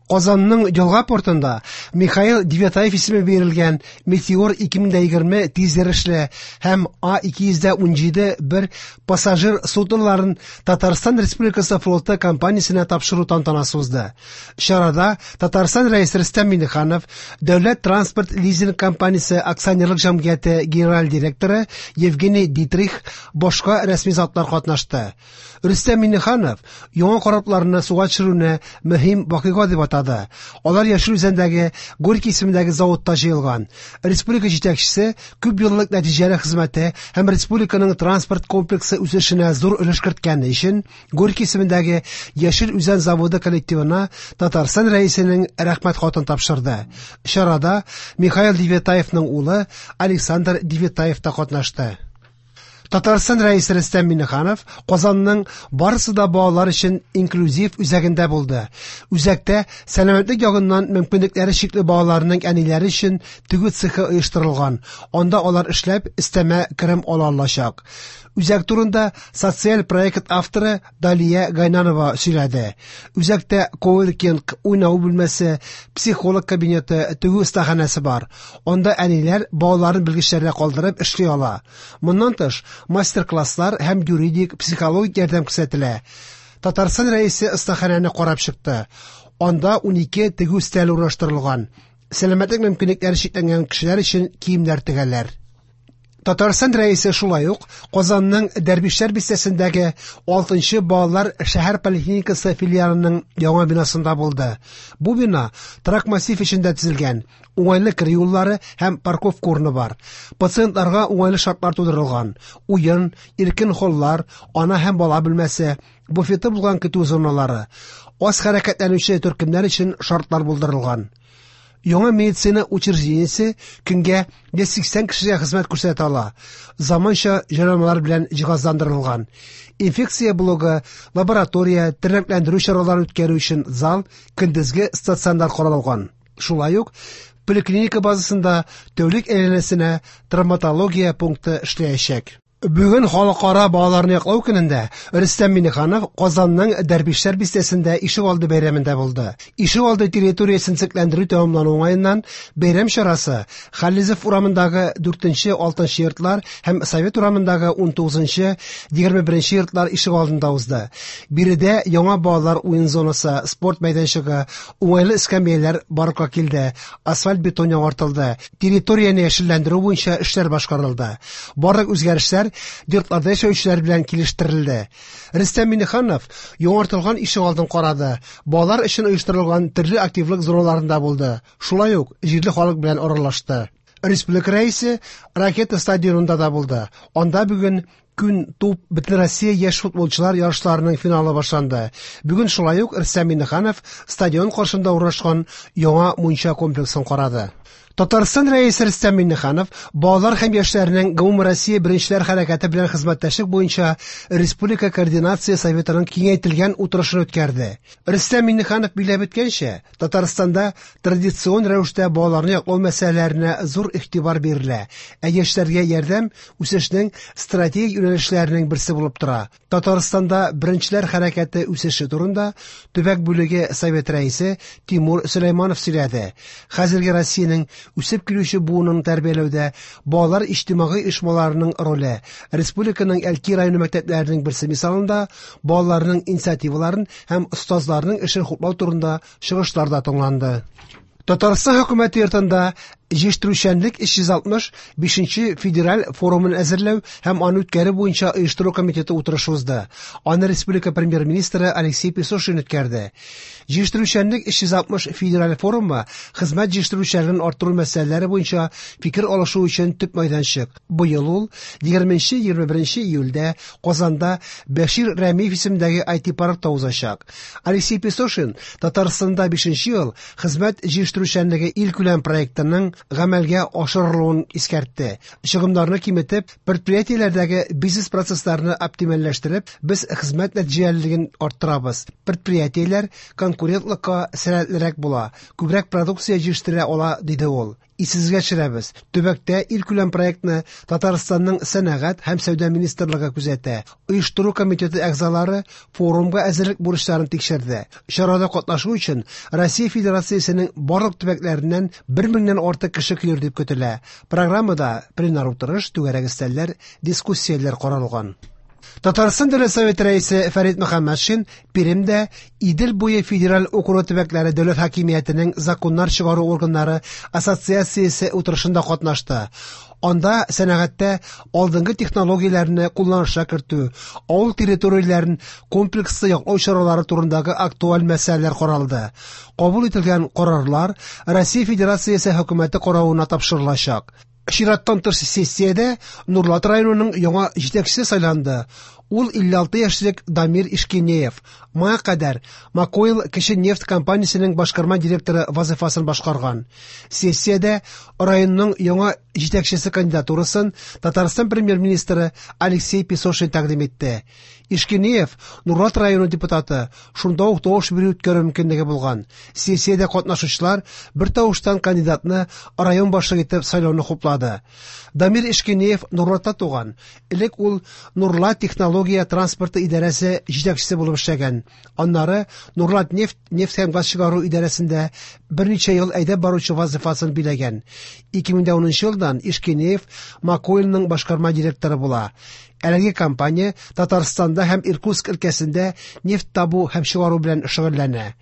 Казанның Елга портында Михаил Девятаев исеме бирелгән Метеор 2020 тизйөрешле һәм А217 бер пассажир судноларын Татарстан Республикасы флоты компаниясенә тапшыру тантанасы узды. Чарада Татарстан Рәисе Рөстәм Миңнеханов, Дәүләт транспорт лизинг компаниясе акционерлык җәмгыяте генераль директоры Евгений Дитрих, башка рәсми затлар катнашты. Рөстәм Миңнеханов яңа корабларны суга төшерүне мөһим вакыйга дип атады. Алар Яшел Үзәндәге Горький исемендәге заводта җыелган. Республика җитәкчесе күп еллык нәтиҗәле хезмәте һәм республиканың транспорт комплексы үсешенә зур өлеш керткәне өчен Горький исемендәге Яшел Үзән заводы коллективына Татарстан Рәисенең рәхмәт хатын тапшырды. Чарада Михаил Девятаевның улы Александр Девятаев та катнашты. Татарстан Рәисе Рөстәм Миңнеханов Казанның барысы да балалар өчен инклюзив үзәгендә булды. Үзәктә сәламәтлек ягыннан мөмкинлекләре чикле балаларның әниләре өчен тегү цехы оештырылган. Анда алар эшләп, өстәмә керем ала алачак. Үзәк турында социаль проект авторы Далия Гайнанова сөйләде. Үзәктә коворкинг, уйнау бүлмәсе, психолог кабинеты, тегү остаханәсе бар. Анда әниләр балаларын белгечләргә калдырып эшли ала. Моннан тыш, мастер-класслар һәм юридик, психологик ярдәм күрсәтелә. Татарстан Рәисе остаханәне карап чыкты. Анда 12 тегү өстәле урнаштырылган. Сәламәтлек мөмкинлекләре чикләнгән кешеләр өчен киемнәр тегәләр. Татарстан Рәисе шулай ук Казанның Дәрвишләр бистәсендәге 6 балалар шәһәр поликлиникасы филиалының яңа бинасында булды. Бу бина торак массив эчендә төзелгән. Уңайлы керү юллары һәм парковка урыны бар. Пациентларга уңайлы шартлар тудырылган. Уен, иркен холлар, ана һәм бала бүлмәсе, буфеты булган көтү зоналары, аз хәрәкәтләнүче төркемнәр өчен шартлар булдырылган. Яңа медицина учреждениесе көнгә 180 кешегә хезмәт күрсәтә ала. Заманча җайланмалар белән җиһазландырылган. Инфекция блогы, лаборатория, тернәкләндерү чаралары үткәрү өчен зал, көндезге стационар каралган. Шулай ук поликлиника базасында тәүлек әйләнәсенә травматология пункты эшләячәк. Бүген Халыкара балаларны яклау көнендә Рөстәм Миңнеханов Казанның Дәрвишләр бистәсендә ишегалды бәйрәмендә булды. Ишегалды территориясен төзекләндерү тәмамлану уңаеннан бәйрәм чарасы Халлизов урамындагы 4-6 йортлар һәм Совет урамындагы 19-21 йортлар ишегалдында узды. Биредә яңа балалар уен зонасы, спорт мәйданчыгы, уңайлы эскәмияләр барлыкка килде, асфальт-бетон яңартылды, территорияне яшелләндерү буенча эшләр башкарылды. Барлык үзгәрешләр йортларда яшәүчеләр белән килештерелде. Рөстәм Миңнеханов яңартылган ишегалдын карады, балалар өчен оештырылган төрле активлык зоналарында булды, шулай ук җирле халык белән аралашты. Республика Рәисе Ракета стадионында да булды. Анда бүген Күн туп Бөтенроссия яшь футболчылар ярышларының финалы башланды. Бүген шулай ук Рөстәм Миңнеханов стадион каршында урнашкан яңа мунча комплексын карады. Татарстан Рәисе Рөстәм Миңнеханов балалар һәм яшьләрнең Гомумроссия беренчеләр хәрәкәте белән хезмәттәшлек буенча Республика координация советының киңәйтелгән утырышын үткәрде. Рөстәм Миңнеханов билгеләп үткәнчә, Татарстанда традицион рәвештә балаларны яклау мәсьәләләренә зур игътибар бирелә, ә яшьләргә ярдәм үсешнең стратегик юнәлешләренең берсе булып тора. Татарстанда беренчеләр хәрәкәте үсеше турында төбәк бүлеге совет рәисе Тимур Сөләйманов сөйләде. Хәзерге Россиянең үсеп килүче буынын тәрбияләүдә балалар иҗтимагый оешмаларының роле, республиканың Әлки районы мәктәпләренең берсе мисалында балаларның инициативаларын һәм остазларның эшен хуплау турында чыгышлар да тыңланды. Татарстан хөкүмәте йортында җитештерүчәнлек 365 федераль форумын әзерләү һәм аны үткәрү буенча оештыру комитеты утырышы узды. Аны республика премьер-министры Алексей Песошин үткәрде. Җитештерүчәнлек 360 федераль форумы хезмәт җитештерүчәнлеген арттыру мәсьәләләре буенча фикер алышу өчен төп мәйданчык. Быел ул 20-21 июльдә Казанда Бәшир Рәмиев исемендәге IT-паркта узачак. Алексей Песошин Татарстанда 5 ел хезмәт җитештерүчәнлеге илкүләм проектының гамәлгә ашырылуын искәртте. Чыгымнарны киметеп, предприятиеләрдәге бизнес-процессларны оптимальләштереп, без хезмәт нәтиҗәлелеген арттырабыз. Предприятиеләр конкурентлыкка сәләтлерәк була, күбрәк продукция җитештерә ала, диде ул. Исегезгә төшерәбез, төбәктә илкүләм проектны Татарстанның Сәнәгать һәм сәүдә министрлыгы күзәтә. Оештыру комитеты әгъзалары форумга әзерлек бурычларын тикшерде. Чарада катнашу өчен Россия Федерациясенең барлык төбәкләреннән 1 меңнән артык кеше килер дип көтелә. Программада пленар утырыш, түгәрәк өстәлләр, дискуссияләр каралган. Татарстан Дәүләт Советы рәисе Фәрит Мөхәммәтшин Пермьдә Идел буе федераль округы төбәкләре дәүләт хакимиятенең законнар чыгару органнары ассоциациясе утырышында катнашты. Анда сәнәгатьтә алдынгы технологияләрне кулланышка кертү, авыл территорияләрен комплекслы яклау чаралары турындагы актуаль мәсьәләләр каралды. Кабул ителгән карарлар Россия Федерациясе хөкүмәте каравына тапшырылачак. Чираттан тыш сессиядә Нурлат районының яңа җитәкчесе сайланды. Ул 56 яшьлек Дамир Ишкинеев. Моңа кадәр Макойл кече нефть компаниясенең башкарма директоры вазыйфасын башкарган. Сессиядә районның яңа җитәкчесе кандидатурасын Татарстан премьер-министры Алексей Песошин тәкъдим итте. Ишкинеев Нурлат районы депутаты, шунда ук тавыш бирү үткәрү мөмкинлеге булган. Сессиядә катнашучылар бер тавыштан кандидатны район башлыгы итеп сайлауны хуплады. Дамир Ишкинеев Нурлатта туган. Элек ул Нурлат технология транспорты идарәсе җитәкчесе булып эшләгән. Аннары Нурлат нефть, нефть һәм газ чыгару идарәсендә берничә ел әйдәп баручы вазыйфасын биләгән. 2010 елдан Ишкинеев Макойлның башкарма директоры була. Әлеге компания Татарстанда һәм Иркутск өлкәсендә нефть табу һәм чыгару белән шөгыльләнә.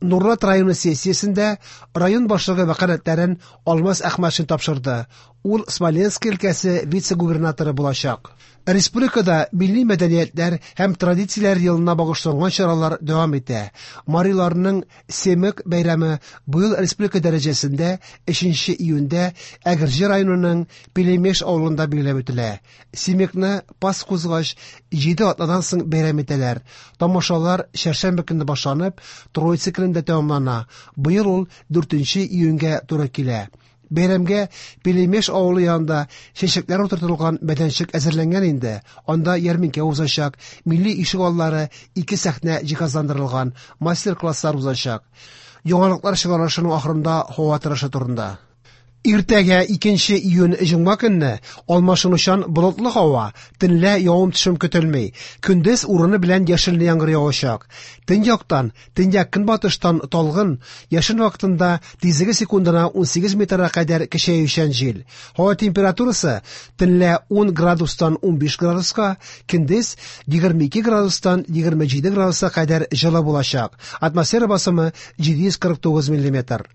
Нурлат районы сессиясендә район башлыгы вәкаләтләрен Алмаз Әхмәтшин тапшырды. Ул Смоленск өлкәсе вице-губернаторы булачак. Республикада милли мәдәниятләр һәм традицияләр елына багышланган чаралар дәвам итә. Мариларның Семык бәйрәме быел республика дәрәҗәсендә 3 июньдә Әгерҗе районының Пелемеш авылында билгеләп үтелә. Семыкны пас кузгач 7 атнадан соң бәйрәм итәләр. Тамашалар чәршәмбе көнне башланып, Троица көнендә тәмамлана. Быел ул 4 июньгә туры килә. Бәйрәмгә Пелемеш авылы янында чәчәкләр утыртылган мәйданчык әзерләнгән инде. Анда ярминкә узачак, милли ишек аллары, ике сәхнә җиһазландырылган, мастер-класслар узачак. Яңалыклар чыгарылышының ахырында һава торышы турында. Иртәгә 2 июнь җомга көнне алмашынучан болытлы һава, төнлә явым-төшем көтелми. Көндез урыны белән яшенле яңгыр явачак. Төньяктан, төньяк көнбатыштан талгын, яшен вакытында тизлеге секундына 18 метрга кадәр көчәючән җил. Һава температурасы төнлә 10 градустан 15 градуска, көндез 22 градустан 27 градуска кадәр җылы булачак. Атмосфера басымы 749 миллиметр.